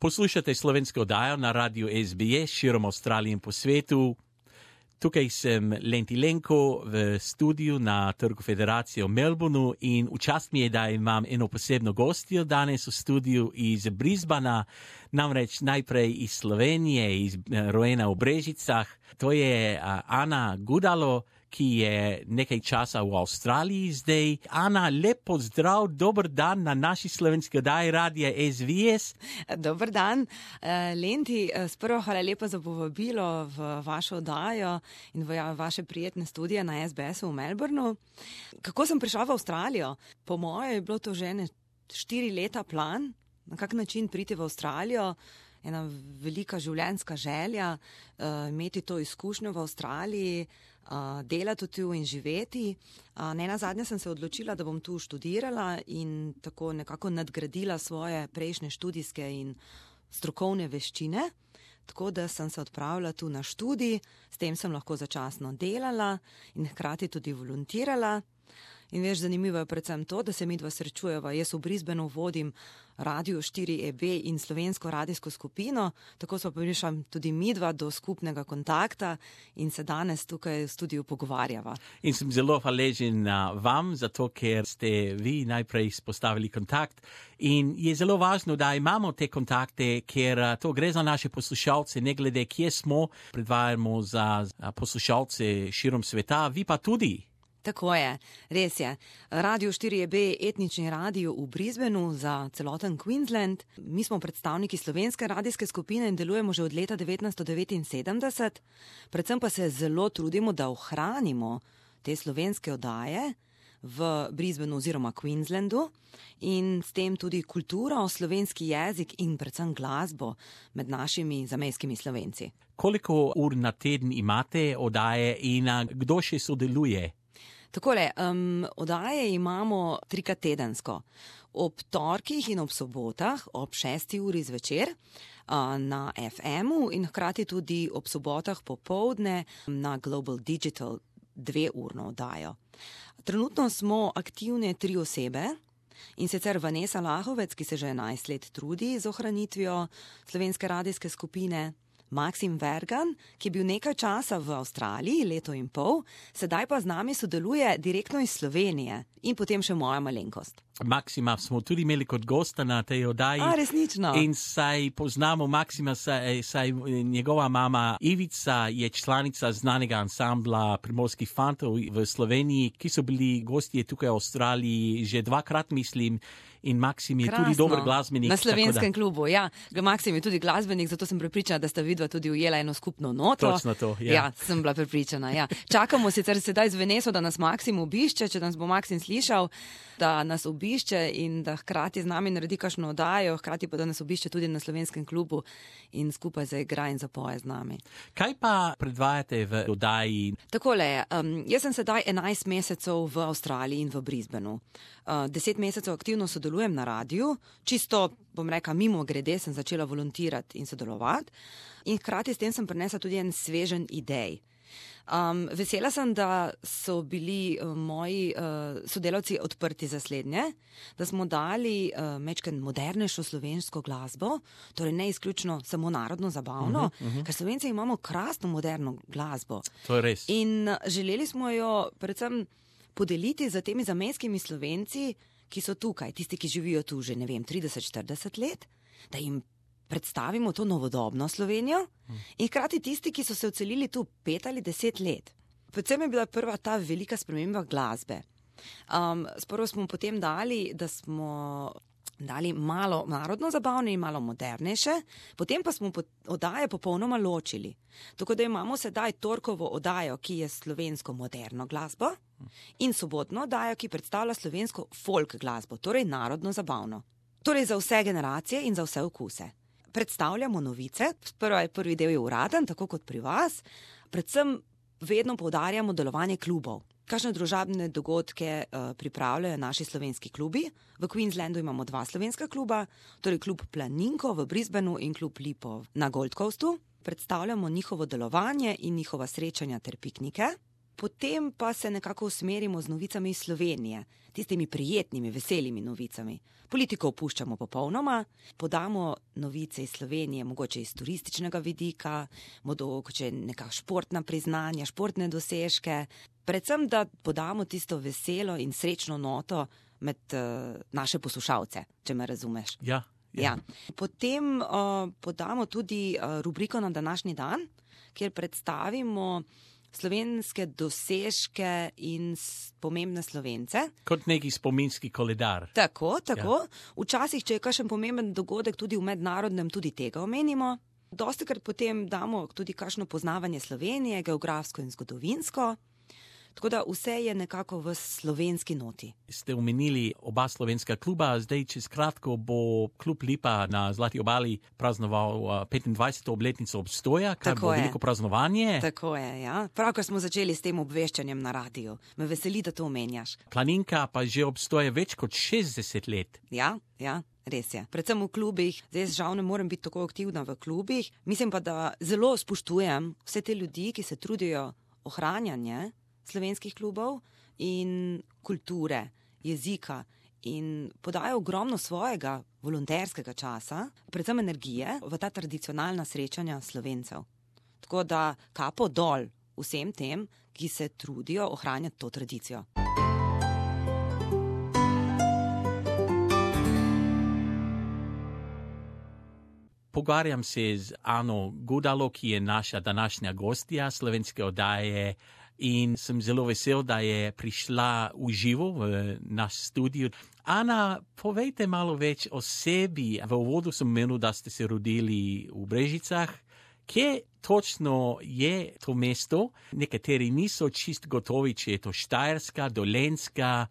Poslušate slovensko oddajo na radiu SBS širom Avstralije in po svetu. Tukaj sem Lenti Lenko v studiu na Trgu Federacije v Melbourneu in v čast mi je, da imam eno posebno gostjo danes v studiu iz Brisbana, namreč najprej iz Slovenije, rojena v Brežicah. To je Ana Gudalo, ki je nekaj časa v Avstraliji zdaj. Ana, lep pozdrav, dober dan na naši slovenski oddaji radia SBS. Dober dan, Lenti, sprva hvala lepa za povabilo v vašo oddajo in v vaše prijetne studije na SBS-u v Melbourneu. Kako sem prišla v Avstralijo? Po moje je bilo to že 4 leta plan, na kak način priti v Avstralijo. Ena velika življenjska želja, imeti to izkušnjo v Avstraliji, delati tu in živeti. Nenazadnje sem se odločila, da bom tu študirala in tako nekako nadgradila svoje prejšnje študijske in strokovne veščine. Tako da sem se odpravila tu na študij, s tem sem lahko začasno delala in hkrati tudi volontirala. In veš, zanimivo je predvsem to, da se midva srečujeva. Jaz v Brisbaneu vodim Radio 4EB in slovensko radijsko skupino, tako smo prišli tudi midva do skupnega kontakta in se danes tukaj v studiu pogovarjava. In sem zelo hvaležen vam, zato ker ste vi najprej spostavili kontakt. In je zelo važno, da imamo te kontakte, ker to gre za naše poslušalce, ne glede kje smo, predvajamo za poslušalce širom sveta, vi pa tudi. Tako je, res je. Radio 4EB, etnični radio v Brisbaneu za celoten Queensland. Mi smo predstavniki slovenske radijske skupine in delujemo že od leta 1979. Predvsem pa se zelo trudimo, da ohranimo te slovenske oddaje v Brisbaneu oziroma Queenslandu in s tem tudi kulturo, slovenski jezik in predvsem glasbo med našimi zamejskimi Slovenci. Koliko ur na teden imate oddaje in kdo še sodeluje? Takole, oddaje imamo 3-krat tedensko. Ob torkih in ob sobotah, ob 6. uri zvečer na FM-u in hkrati tudi ob sobotah popoldne na Global Digital 2-urno oddajo. Trenutno smo aktivne 3 osebe, in sicer Vanessa Lahovec, ki se že 11 let trudi z ohranitvijo slovenske radijske skupine, Maksim Vergan, ki je bil nekaj časa v Avstraliji, 1,5 leta, sedaj pa z nami sodeluje direktno iz Slovenije in potem še moja malenkost. Maksima smo tudi imeli kot gosta na tej oddaji. Resnično. In saj poznamo Maksima, saj njegova mama Ivica je članica znanega ansambla Primorskih fantov v Sloveniji, ki so bili gostje tukaj v Avstraliji že 2-krat, mislim. In Maksim je tudi dober glasbenik. Na slovenskem klubu, ja. Maksim je tudi glasbenik, zato sem prepričana, da sta vidva tudi ujela eno skupno noto. Točno to, ja. Ja, sem bila prepričana, ja. Čakamo sicer sedaj z Veneso, da nas Maksim obišče, če nas bo Maksim slišal, da nas obišče in da hkrati z nami naredi kakšno oddajo, hkrati pa da nas obišče tudi na slovenskem klubu in skupaj zaigra in zapoje z nami. Kaj pa predvajate v oddaji? Takole, jaz sem sedaj 11 mesecev v Avstraliji in v Brisbaneu. 10 mesecev aktivno sodelujem na radiju, čisto, bom rekla, mimo grede sem začela volontirati in sodelovati in hkrati s tem sem prinesla tudi en svežen idej. Vesela sem, da so bili moji sodelavci odprti za slednje, da smo dali mečken modernejšo slovensko glasbo, torej ne izključno samo narodno zabavno, ker Slovenci imamo krasno moderno glasbo. To je res. In želeli smo jo predvsem podeliti za temi zamejskimi Slovenci, ki so tukaj, tisti, ki živijo tu že, 30-40 let, da jim predstavimo to novodobno Slovenijo in hkrati tisti, ki so se odselili tu 5 ali 10 let. Predvsem je bila prva ta velika sprememba glasbe. Sprva smo potem dali, da smo dali malo narodno zabavne in malo modernejše, potem pa smo oddaje popolnoma ločili. Tako da imamo sedaj torkovo oddajo, ki je slovensko moderno glasbo in sobotno oddajo, ki predstavlja slovensko folk glasbo, torej narodno zabavno. Torej za vse generacije in za vse okuse. Predstavljamo novice, prvi del je uraden, tako kot pri vas, predvsem vedno poudarjamo delovanje klubov. Kakšne družabne dogodke pripravljajo naši slovenski klubi. V Queenslandu imamo 2 slovenska kluba, torej klub Planinko v Brisbaneu in klub Lipo na Gold Coastu. Predstavljamo njihovo delovanje in njihova srečanja ter piknike. Potem pa se nekako usmerimo z novicami iz Slovenije, tistimi prijetnimi, veselimi novicami. Politiko opuščamo popolnoma, podamo novice iz Slovenije, mogoče iz turističnega vidika, mogoče neka športna priznanja, športne dosežke. Predvsem, da podamo tisto veselo in srečno noto med naše poslušalce, če me razumeš. Ja. Potem podamo tudi rubriko na današnji dan, kjer predstavimo slovenske dosežke in pomembne Slovence. Kot neki spominski koledar. Tako. Ja. Včasih, če je kakšen pomemben dogodek tudi v mednarodnem, tudi tega omenimo. Dostikrat potem damo tudi kakšno poznavanje Slovenije, geografsko in zgodovinsko. Tako da vse je nekako v slovenski noti. Ste omenili oba slovenska kluba, zdaj čez kratko bo klub Lipa na Zlati obali praznoval 25. obletnico obstoja, kar bo veliko praznovanje. Tako je, ja. Pravkar smo začeli s tem obveščanjem na radiju. Me veseli, da to omenjaš. Planinka pa že obstoja več kot 60 let. Ja. Res je. Predvsem v klubih. Zdaj žal ne morem biti tako aktivna v klubih. Mislim pa, da zelo spoštujem vse te ljudi, ki se trudijo ohranjanje slovenskih klubov in kulture, jezika in podajo ogromno svojega volonterskega časa, predvsem energije, v ta tradicionalna srečanja Slovencev. Tako da kapo dol vsem tem, ki se trudijo ohranjati to tradicijo. Pogovarjam se z Ano Gudalo, ki je naša današnja gostja slovenske oddaje, in sem zelo vesel, da je prišla v živo v naš studio. Ana, povejte malo več o sebi. V uvodu sem menil, da ste se rodili v Brežicah. Kje točno je to mesto? Nekateri niso čist gotovi, če je to Štajerska, Dolenjska,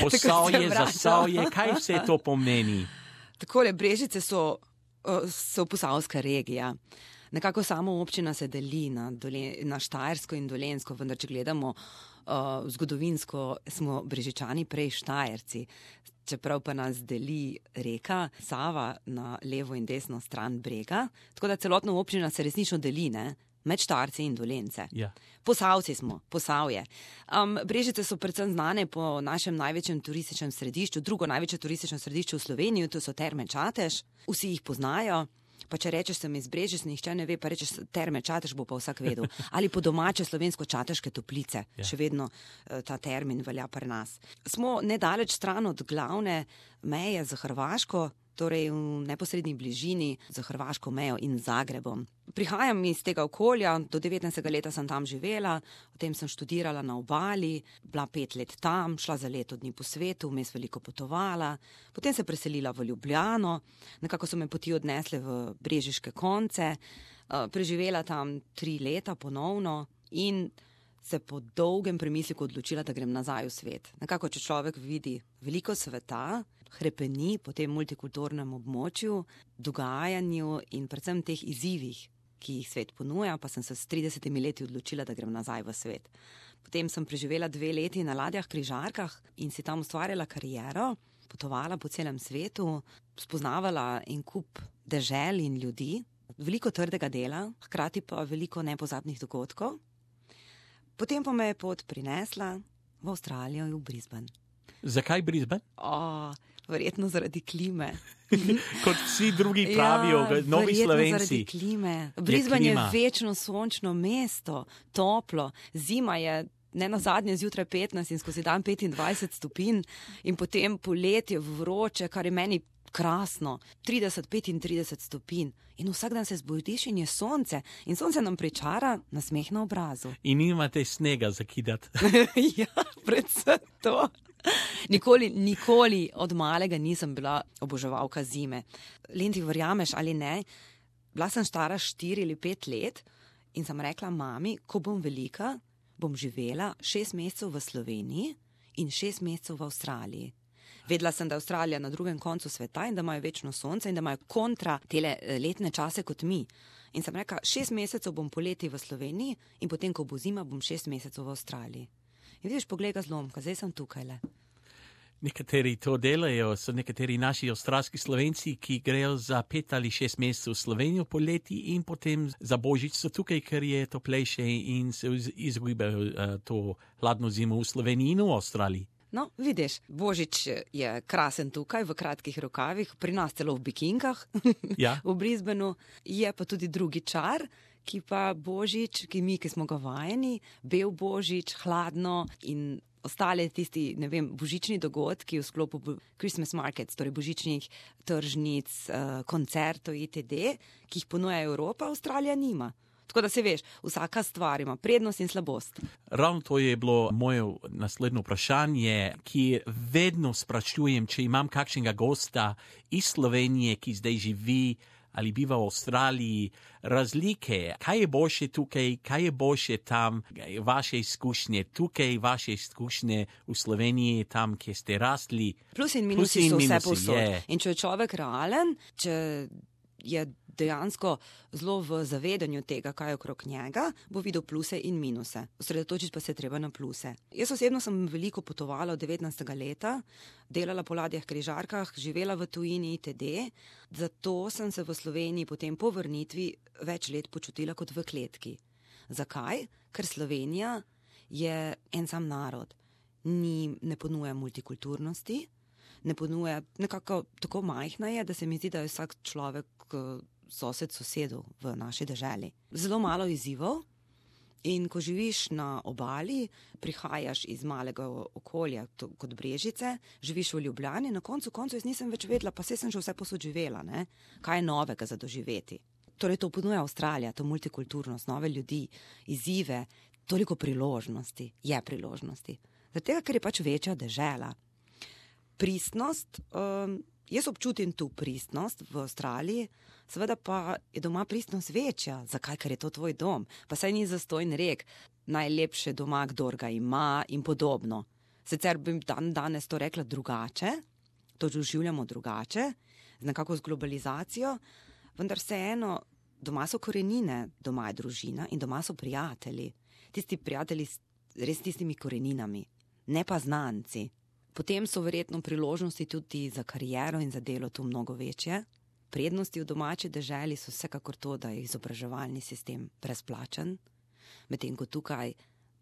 Posavje, Zasavje. Kaj vse to pomeni? Takole, Brežice so posavska regija. Nekako samo občina se deli na Štajersko in Dolenjsko, vendar če gledamo zgodovinsko, smo Brežičani prej Štajerci. Čeprav pa nas deli reka Sava na levo in desno stran brega. Tako da celotna občina se resnično deli, med Štajerci in Dolenjce. Ja. Posavci smo, Posavje. Brežice so predvsem znane po našem največjem turističnem središču, drugo največje turistično središče v Sloveniji, to so Terme Čatež. Vsi jih poznajo. Pa če rečeš, sem iz Brežic, nihče ne ve, pa rečeš Terme Čatež, bo pa vsak vedel. Ali po domače slovensko Čateške toplice. Ja. Še vedno ta termin velja pri nas. Smo nedaleč stran od glavne meje za Hrvaško, torej v neposrednji bližini za hrvaško mejo in Zagrebom. Prihajam iz tega okolja, do 19. leta sem tam živela, potem sem študirala na obali, bila 5 let tam, šla za leto dni po svetu, vmes veliko potovala, potem se preselila v Ljubljano, nekako so me poti odnesle v brežiške konce, preživela tam 3 leta ponovno in se po dolgem premisliku odločila, da grem nazaj v svet. Nekako, če človek vidi veliko sveta, hrepeni po tem multikulturnem območju, dogajanju in predvsem teh izzivih, ki jih svet ponuja, pa sem se s 30 leti odločila, da grem nazaj v svet. Potem sem preživela 2 leti na ladjah križarkah in si tam ustvarjala kariero, potovala po celem svetu, spoznavala en kup dežel in ljudi, veliko trdega dela, hkrati pa veliko nepozabnih dogodkov. Potem pa me je pot prinesla v Avstralijo in v Brisbane. Zakaj Brisbane? Verjetno zaradi klime. Kot vsi drugi pravijo, novi Slovenci. Zaradi klime. Brisbane je večno sončno mesto, toplo. Zima je nenazadnje zjutraj 15 in skozi dan 25 stopinj in potem poletje vroče, kar je meni krasno. 30-35 stopinj. In vsak dan se zbudiš in je sonce. In sonce nam pričara nasmeh na obrazu. In nimate snega zakidati. Ja, predvsem to. Nikoli od malega nisem bila oboževalka zime. Lenti, verjameš ali ne, bila sem stara 4 ali 5 let in sem rekla mami, ko bom velika, bom živela 6 mesecev v Sloveniji in 6 mesecev v Avstraliji. Vedela sem, da je Avstralija na drugem koncu sveta in da imajo večno sonce in da imajo kontra tele letne čase kot mi. In sem rekla, 6 mesecev bom poleti v Sloveniji in potem, ko bo zima, bom 6 mesecev v Avstraliji. In vidiš, poglej ga zlomka, zdaj sem tukaj le. Nekateri to delajo, so nekateri naši avstralski Slovenci, ki grejo za 5 ali 6 mesecev v Slovenijo poleti in potem za Božič so tukaj, ker je toplejše in se izgubljajo to hladno zimo v Sloveniji in v Avstraliji. No, vidiš, Božič je krasen tukaj v kratkih rokavih, pri nas celo v bikinkah, Ja. v Brisbaneu, je pa tudi drugi čar, ki pa Božič, ki smo ga vajeni, bel Božič, hladno in ostale tisti, ne vem, božični dogodki v sklopu Christmas markets, torej božičnih tržnic, koncertov itd., ki jih ponuja Evropa, Avstralija nima. Tako da se veš, vsaka stvar ima prednost in slabost. Ravno to je bilo moje naslednje vprašanje, ki vedno sprašujem, če imam kakšnega gosta iz Slovenije, ki zdaj živi ali biva v Avstraliji, razlike, kaj je boljše tukaj, kaj je boljše tam, vaše izkušnje tukaj, vaše izkušnje v Sloveniji, tam, kjer ste rasli. Plusi in minusi so vse povsod. Je. In če je človek realen, če je dejansko zelo v zavedanju tega, kaj je okrog njega, bo videl pluse in minuse. Osredotočiti pa se treba na pluse. Jaz osebno sem veliko potovala od 19. leta, delala po ladjah križarkah, živela v tujini itd. Zato sem se v Sloveniji potem po vrnitvi več let počutila kot v kletki. Zakaj? Ker Slovenija je en sam narod. Ne ponuja multikulturnosti, ne ponuja, nekako tako majhna je, da se mi zdi, da je vsak človek sosed sosedu v naši deželi. Zelo malo izzivov in ko živiš na obali, prihajaš iz malega okolja kot Brežice, živiš v Ljubljani, na koncu jaz nisem več vedela, pa sem že vse posod živela, ne? Kaj je novega za doživeti. Torej to ponuja Avstralija, to multikulturnost, nove ljudi, izzive, toliko priložnosti, je priložnosti. Zato, ker je pač večja dežela. Pristnost, jaz občutim tu pristnost v Avstraliji, seveda pa je doma pristnost večja. Zakaj? Ker je to tvoj dom. Pa saj ni zastojn rek, najlepše doma, kdor ga ima in podobno. Sicer bi danes to rekla drugače, to doživljamo drugače, nekako z globalizacijo, vendar vseeno, doma so korenine, doma je družina in doma so prijatelji. Tisti prijatelji res tistimi koreninami, ne pa znanci. Potem so verjetno priložnosti tudi za kariero in za delo tu mnogo večje. Prednosti v domači deželi so vsekakor to, da je izobraževalni sistem brezplačen, medtem ko tukaj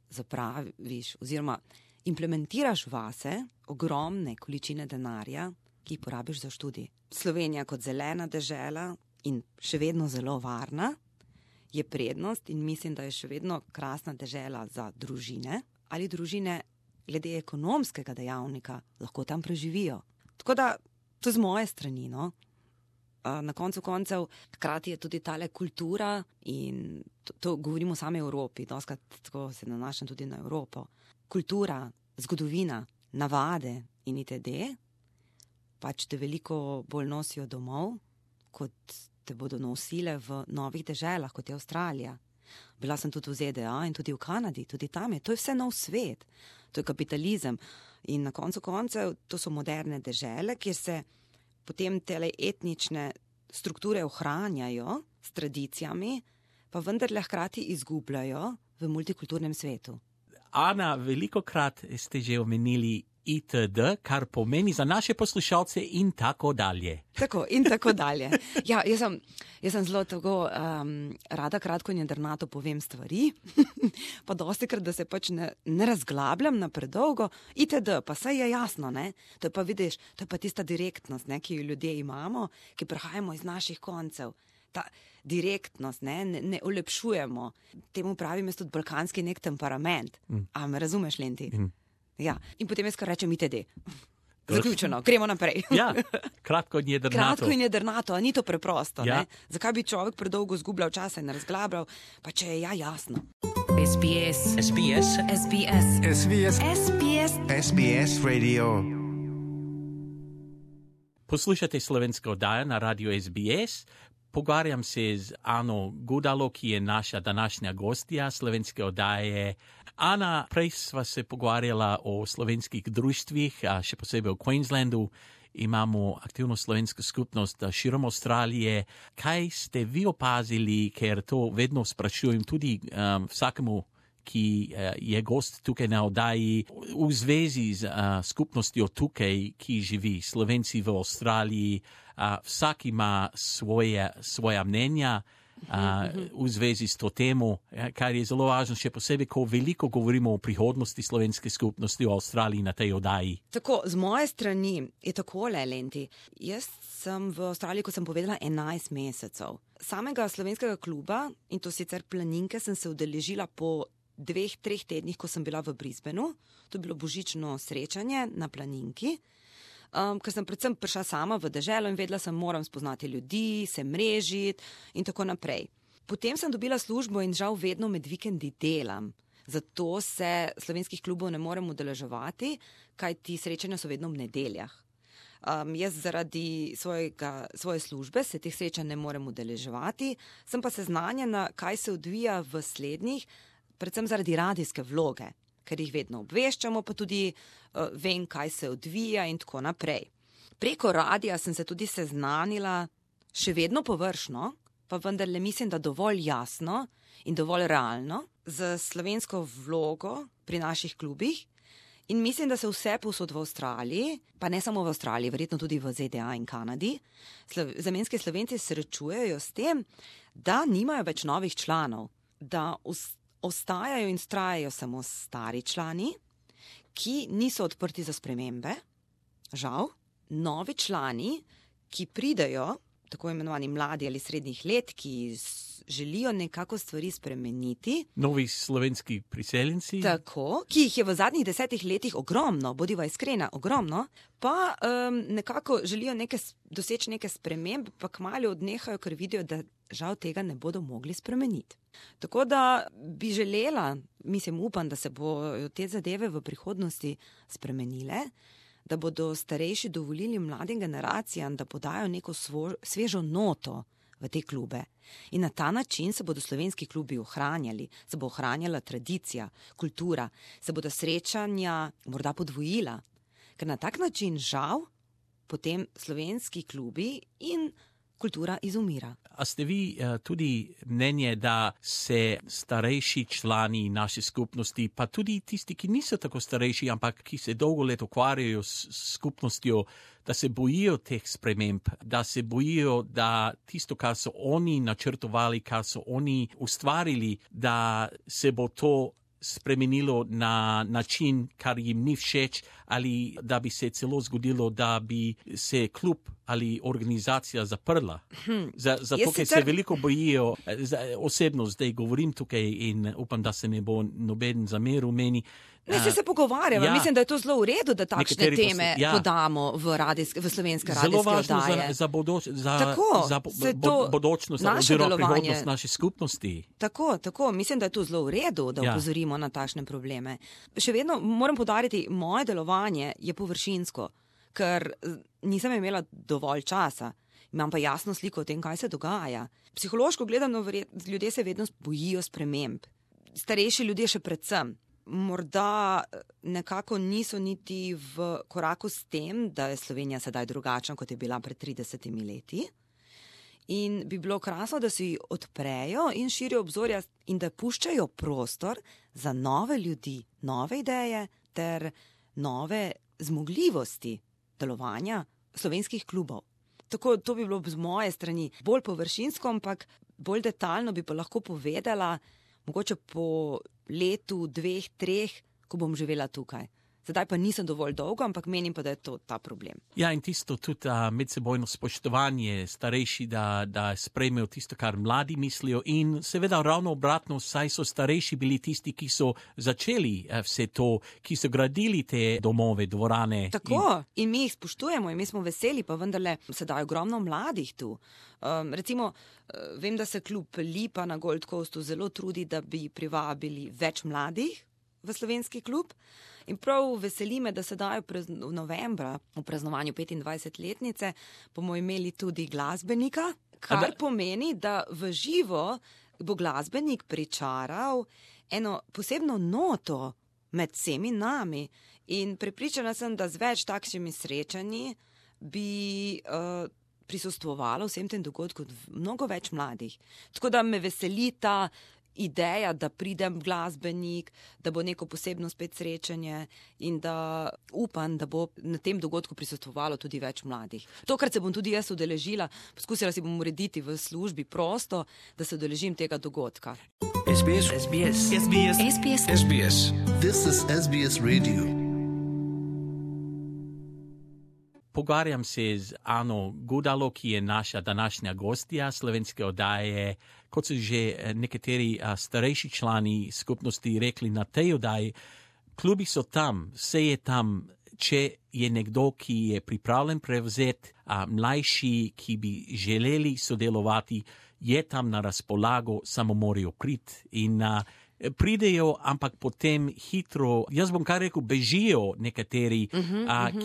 zapraviš oziroma implementiraš vase ogromne količine denarja, ki jih porabiš za študij. Slovenija kot zelena dežela in še vedno zelo varna je prednost in mislim, da je še vedno krasna dežela za družine ali družine glede ekonomskega dejavnika lahko tam preživijo. Tako da, to z moje strani, no. Na koncu koncev, hkrati je tudi tale kultura in to govorimo o sami Evropi, doskrat tako se nanašam tudi na Evropo. Kultura, zgodovina, navade in itd. Pač te veliko bolj nosijo domov, kot te bodo nosile v novih deželah, kot je Avstralija. Bila sem tudi v ZDA in tudi v Kanadi, tudi tam je. To je vse nov svet. To je kapitalizem. In na koncu koncev, to so moderne dežele, kjer se potem tele etnične strukture ohranjajo s tradicijami, pa vendarle hkrati izgubljajo v multikulturnem svetu. Ana, velikokrat ste že omenili itd., kar pomeni za naše poslušalce in tako dalje. Tako, in tako dalje. Ja, jaz sem zelo tako rada kratko in jedrnato povem stvari, pa dostikrat, da se pač ne razglabljam na predolgo. Itd., pa saj je jasno, ne? To je pa, vidiš, to je pa tista direktnost, ne, ki jo ljudje imamo, ki prihajamo iz naših koncev. Ta direktnost, ne olepšujemo. Temu pravim jaz tudi balkanski nek temperament. A me razumeš, Lenti? Ja, in potem jaz kar rečem itd. Zaključeno, gremo naprej. Ja, kratko in jedrnato. Kratko in jedrnato, a ni to preprosto, ja. Ne? Zakaj bi človek predolgo zgubljal časa in razglabljal, pa če je jasno. SBS. SBS. SBS. SBS. SBS. SBS Radio. Poslušate slovensko oddajo na radio SBS. Pogovarjam se z Ano Gudalo, ki je naša današnja gostja slovenske oddaje. Ana, prej sva se pogovarjala o slovenskih društvih, še posebej v Queenslandu. Imamo aktivno slovensko skupnost širom Avstralije. Kaj ste vi opazili, ker to vedno sprašujem tudi vsakemu, ki je gost tukaj na oddaji v zvezi z skupnostjo tukaj, ki živi, Slovenci v Avstraliji. Vsak ima svoja mnenja v zvezi s to temo, kar je zelo važno, še posebej, ko veliko govorimo o prihodnosti slovenske skupnosti v Avstraliji na tej oddaji. Tako, z moje strani je takole, Lenti. Jaz sem v Avstraliji, kot sem povedala, 11 mesecev. Samega slovenskega kluba, in to sicer Planinke, sem se udeležila po 2-3 tednih, ko sem bila v Brisbaneu. To je bilo božično srečanje na Planinki. Ker sem predvsem prišla sama v deželo in vedela sem, moram spoznati ljudi, se mrežiti in tako naprej. Potem sem dobila službo in žal vedno med vikendi delam. Zato se slovenskih klubov ne morem udeleževati, kaj ti srečanja so vedno v nedeljah. Jaz zaradi svoje službe se teh srečanj ne morem udeleževati, sem pa seznanjena, kaj se odvija v slednjih, predvsem zaradi radijske vloge, ker jih vedno obveščamo, pa tudi vem, kaj se odvija in tako naprej. Preko radija sem se tudi seznanila, še vedno površno, pa vendarle mislim, da dovolj jasno in dovolj realno, z slovensko vlogo pri naših klubih. In mislim, da se vse povsod v Avstraliji, pa ne samo v Avstraliji, verjetno tudi v ZDA in Kanadi, zamejski Slovenci srečujejo s tem, da nimajo več novih članov, da ostajajo in vztrajajo samo stari člani, ki niso odprti za spremembe. Žal, novi člani, ki pridejo, tako imenovani mladi ali srednjih let, ki želijo nekako stvari spremeniti. Novi slovenski priseljenci. Tako, ki jih je v zadnjih 10 letih ogromno, bodiva iskrena, ogromno, pa nekako želijo doseči neke spremembe, pa kmalu odnehajo, ker vidijo, da žal tega ne bodo mogli spremeniti. Tako da bi želela, upam, da se bodo te zadeve v prihodnosti spremenile, da bodo starejši dovolili mladim generacijam, da podajo neko svežo noto v te klube. In na ta način se bodo slovenski klubi ohranjali, se bo ohranjala tradicija, kultura, se bodo srečanja morda podvojila. Ker na tak način žal potem slovenski klubi in kultura izumira. A ste vi tudi mnenje, da se starejši člani naše skupnosti, pa tudi tisti, ki niso tako starejši, ampak ki se dolgo let ukvarjajo s skupnostjo, da se bojijo teh sprememb, da se bojijo, da tisto, kar so oni načrtovali, kar so oni ustvarili, da se bo to spremenilo na način, kar jim ni všeč, ali da bi se celo zgodilo, da bi se klub ali organizacija zaprla. Zato, ker se veliko bojijo, osebno zdaj govorim tukaj in upam, da se ne bo noben zameril meni. Se pogovarjamo. Ja. Mislim, da je to zelo v redu, da takšne teme podamo v slovenske radijske oddaje. Zelo važno za bodočnost oziroma prihodnost naše skupnosti. Tako. Mislim, da je to zelo v redu, da opozorimo na takšne probleme. Še vedno moram poudariti, moje delovanje je površinsko, ker nisem imela dovolj časa. Imam pa jasno sliko o tem, kaj se dogaja. Psihološko gledano, ljudje se vedno bojijo sprememb. Starejši ljudje še predvsem. Morda nekako niso niti v koraku s tem, da je Slovenija sedaj drugačna, kot je bila pred 30 leti. In bi bilo krasno, da si odprejo in širijo obzorja in da puščajo prostor za nove ljudi, nove ideje ter nove zmogljivosti delovanja slovenskih klubov. Tako, to bi bilo z moje strani bolj površinsko, ampak bolj detaljno bi pa lahko povedala, mogoče po letu, 2, 3, ko bom živela tukaj. Sedaj pa nisem dovolj dolgo, ampak menim pa, da je to ta problem. Ja, in tisto tudi medsebojno spoštovanje starejši, da sprejmejo tisto, kar mladi mislijo in seveda ravno obratno, saj so starejši bili tisti, ki so začeli vse to, ki so gradili te domove, dvorane. Tako, in mi jih spoštujemo in mi smo veseli, pa vendarle sedaj ogromno mladih tu. Recimo, vem, da se klub Lipa na Gold Coastu zelo trudi, da bi privabili več mladih v slovenski klub. In prav veseli me, da sedaj v novembra, v praznovanju 25-letnice, bomo imeli tudi glasbenika, kar pomeni, da v živo bo glasbenik pričaral eno posebno noto med vsemi nami. In prepričana sem, da z več takšnimi srečanji bi prisustvovalo vsem tem dogodkom mnogo več mladih. Tako da me veseli ta ideja, da pridem glasbenik, da bo neko posebno spet srečanje in da upam, da bo na tem dogodku prisostvovalo tudi več mladih. Tokrat se bom tudi jaz udeležila, poskusila si bom urediti v službi prosto, da se udeležim tega dogodka. SBS. This is SBS Radio. Pogovarjam se z Ano Gudalo, ki je naša današnja gostja slovenske oddaje. Kot so že nekateri starejši člani skupnosti rekli na tej oddaji, klubi so tam, vse je tam, če je nekdo, ki je pripravljen prevzeti, mlajši, ki bi želeli sodelovati, je tam na razpolago, samo morajo priti. In pridejo, ampak potem hitro, jaz bom kar rekel, bežijo nekateri,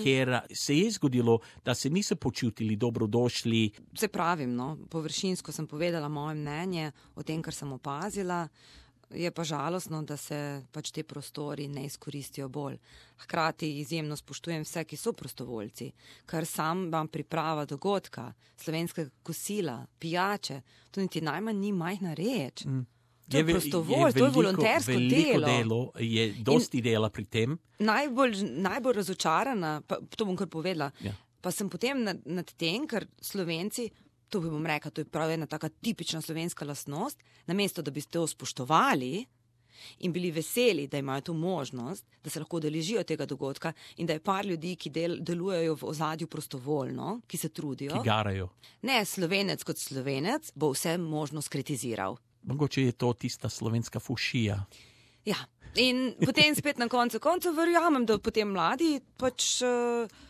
ker se je zgodilo, da se niso počutili dobrodošli. Se pravim, no, površinsko sem povedala moje mnenje o tem, kar sem opazila. Je pa žalostno, da se pač te prostori ne izkoristijo bolj. Hkrati izjemno spoštujem vse, ki so prostovoljci, ker sam vam priprava dogodka, slovenskega kosila, pijače, to niti najmanj ni majhna reč. To je prostovolj, to je volontersko delo. Je dosti dela pri tem. Najbolj razočarana, pa to bom kar povedala, pa sem potem nad tem, ker Slovenci, to bi bom rekla, to je prav ena taka tipična slovenska lastnost, namesto da bi to spoštovali in bili veseli, da imajo to možnost, da se lahko udeležijo tega dogodka in da je par ljudi, ki delujejo v ozadju prostovoljno, ki se trudijo. Ki garajo. Ne, Slovenec kot Slovenec bo vse možno skritiziral. Mogoče je to tista slovenska fušija. Ja, in potem spet na koncu verjamem, da potem mladi pač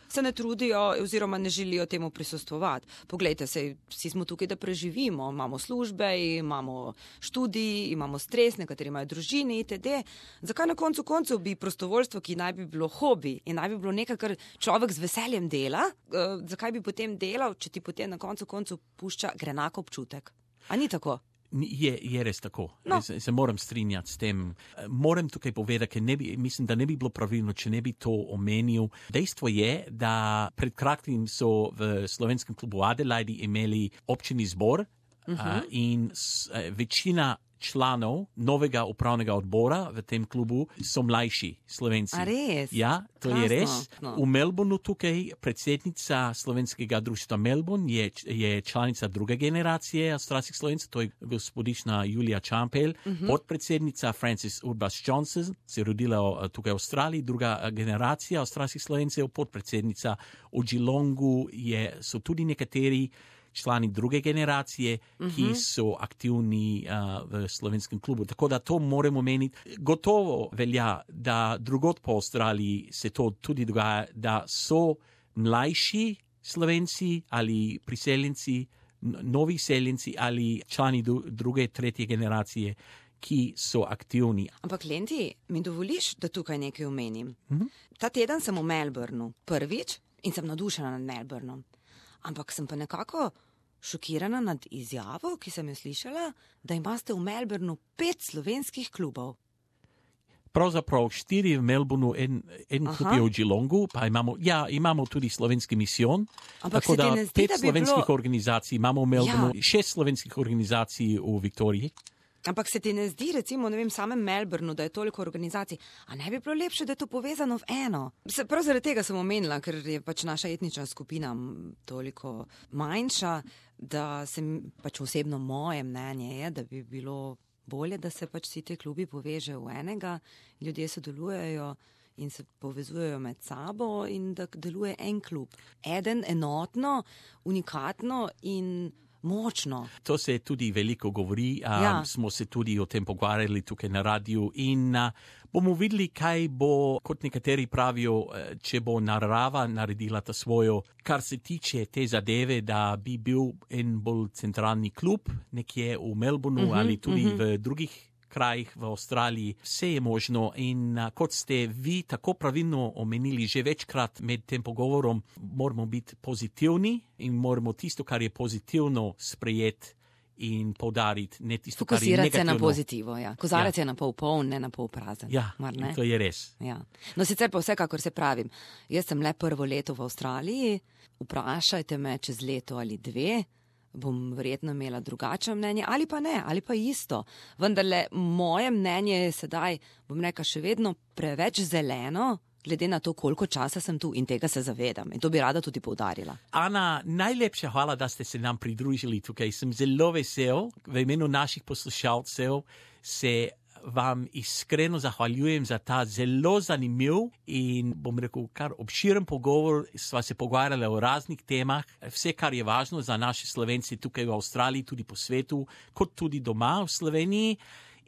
se ne trudijo oziroma ne želijo temu prisostvovati. Poglejte, vsi smo tukaj, da preživimo, imamo službe, imamo študij, imamo stres, nekateri imajo družine itd. Zakaj na koncu bi prostovoljstvo, ki naj bi bilo hobi in naj bi bilo nekaj, kar človek z veseljem dela, zakaj bi potem delal, če ti potem na koncu pušča grenak občutek? A ni tako? Je res tako. No. Se moram strinjati s tem. Moram tukaj povedati, ker mislim, da ne bi bilo pravilno, če ne bi to omenil. Dejstvo je, da pred kratkim so v slovenskem klubu Adelaide imeli občini zbor in večina članov novega upravnega odbora v tem klubu so mlajši Slovenci. A res? Ja, to Krasno. je res. No. V Melbourneu tukaj predsednica slovenskega društva Melbourne je članica druge generacije avstralskih Slovencev, to je gospodična Julija Čampel, podpredsednica Frances Urbas Johnson, se je rodila tukaj v Avstraliji, druga generacija avstralskih Slovencev, podpredsednica v Geelongu so tudi nekateri člani druge generacije, ki so aktivni v slovenskem klubu. Tako da to moramo meniti. Gotovo velja, da drugod po Avstraliji se to tudi dogaja, da so mlajši Slovenci ali priseljenci, novi seljenci ali člani druge, tretje generacije, ki so aktivni. Ampak Lenti, mi dovoliš, da tukaj nekaj omenim? Ta teden sem v Melbourneu prvič in sem navdušena nad Melbournom. Ampak sem pa nekako šokirana nad izjavo, ki sem jo slišala, da imate v Melbourneu 5 slovenskih klubov. Pravzaprav 4 v Melbourneu, en klub je v Geelongu, pa imamo tudi slovenski misijon. Ampak tako se ti da ne zdi, 5 da bi slovenskih bilo... organizacij imamo v Melbourneu, 6 slovenskih organizacij v Viktoriji. Ampak se ti ne zdi, recimo, samem Melbourneu, da je toliko organizacij, a ne bi bilo lepše, da je to povezano v eno? Prav zaradi tega sem omenila, ker je pač naša etnična skupina toliko manjša, da pač osebno moje mnenje je, da bi bilo bolje, da se pač vsi te klubi povežejo v enega, ljudje sodelujejo in se povezujejo med sabo in da deluje en klub. Eden, enotno, unikatno in močno. To se tudi veliko govori, smo se tudi o tem pogovarjali tukaj na radiju in bomo videli, kaj bo, kot nekateri pravijo, če bo narava naredila ta svojo, kar se tiče te zadeve, da bi bil en bolj centralni klub nekje v Melbourneu ali tudi v drugih krajih v Avstraliji. Vse je možno in kot ste vi tako pravilno omenili že večkrat med tem pogovorom, moramo biti pozitivni in moramo tisto, kar je pozitivno, sprejeti in poudariti, ne tisto, kar je negativno. Fokusirati se na pozitivo, ja. Kozarec je na pol poln, ne na pol prazen. Ja, to je res. Ja. No, sicer pa vsekakor se pravim, jaz sem le prvo leto v Avstraliji, vprašajte me čez leto ali dve, bom verjetno imela drugačno mnenje, ali pa ne, ali pa isto. Vendarle, moje mnenje je sedaj, bom rekla, še vedno preveč zeleno, glede na to, koliko časa sem tu in tega se zavedam. In to bi rada tudi poudarila. Ana, najlepša hvala, da ste se nam pridružili tukaj. Sem zelo vesel, v imenu naših poslušalcev se vam iskreno zahvaljujem za ta zelo zanimiv in, bom rekel, kar obširen pogovor. Sva se pogovarjali o raznih temah, vse, kar je važno za naše Slovence tukaj v Avstraliji, tudi po svetu, kot tudi doma v Sloveniji.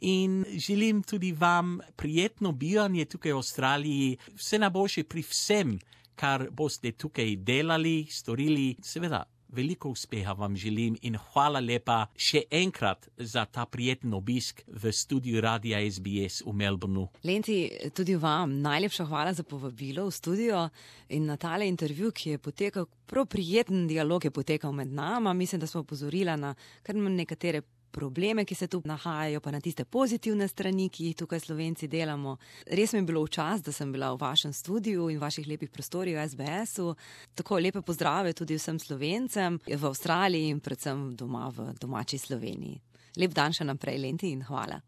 In želim tudi vam prijetno bivanje tukaj v Avstraliji, vse najboljše pri vsem, kar boste tukaj delali, storili. Seveda, veliko uspeha vam želim in hvala lepa še enkrat za ta prijeten obisk v studiu Radia SBS v Melbourneu. Lenti, tudi vam najlepša hvala za povabilo v studio in na tale intervju, ki je potekal, prav prijeten dialog je potekal med nama. Mislim, da smo opozorila na kar nekatere probleme, ki se tu nahajajo, pa na tiste pozitivne strani, ki jih tukaj Slovenci delamo. Res mi je bilo v čast, da sem bila v vašem studiu in vaših lepih prostorih v SBS-u. Tako lepe pozdrave tudi vsem Slovencem v Avstraliji in predvsem doma v domači Sloveniji. Lep dan še naprej, Lenti, in hvala.